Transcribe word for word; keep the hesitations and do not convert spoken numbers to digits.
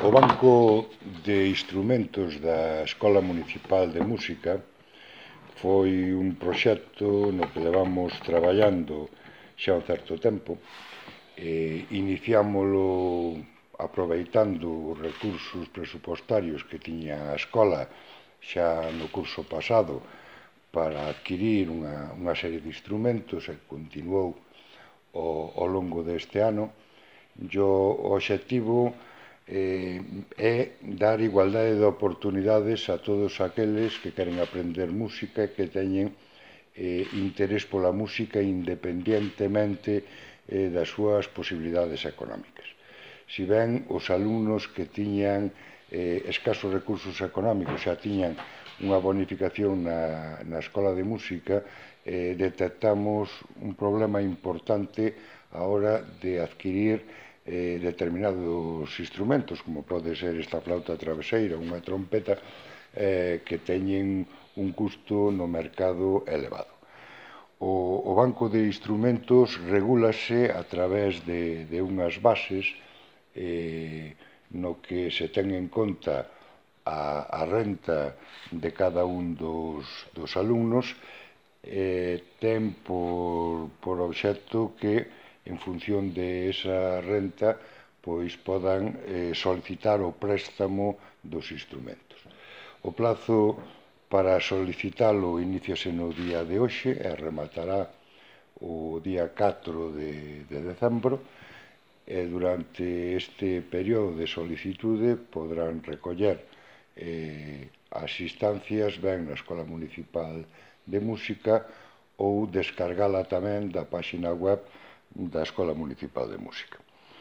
O Banco de Instrumentos da Escola Municipal de Música foi un proxecto no que levamos traballando xa un certo tempo. E iniciámolo aproveitando os recursos presupostarios que tiña a escola xa no curso pasado para adquirir unha, unha serie de instrumentos e continuou ao, ao longo deste ano. E o obxectivo eh, é dar igualdade de oportunidades a todos aqueles que queren aprender música e que teñen eh, interés pola música independientemente eh, das súas posibilidades económicas. Si ben os alumnos que tiñan eh, escasos recursos económicos xa tiñan unha bonificación na, na escola de música, eh, detectamos un problema importante a hora de adquirir eh, determinados instrumentos, como pode ser esta flauta traveseira, unha trompeta, eh, que teñen un custo no mercado elevado. O, o banco de instrumentos regúlase a través de, de unhas bases eh, no que se ten en conta a, a renta de cada un dos, dos alumnos, eh, ten por, por obxecto que en función de esa renta pois podan eh, solicitar o préstamo dos instrumentos. O plazo para solicitalo iníciase no día de hoxe e rematará o día catro de, de decembro, e durante este período de solicitude podrán recoller eh, as instancias ben na Escola Municipal de Música ou descargala tamén da páxina web da Escola Municipal de Música.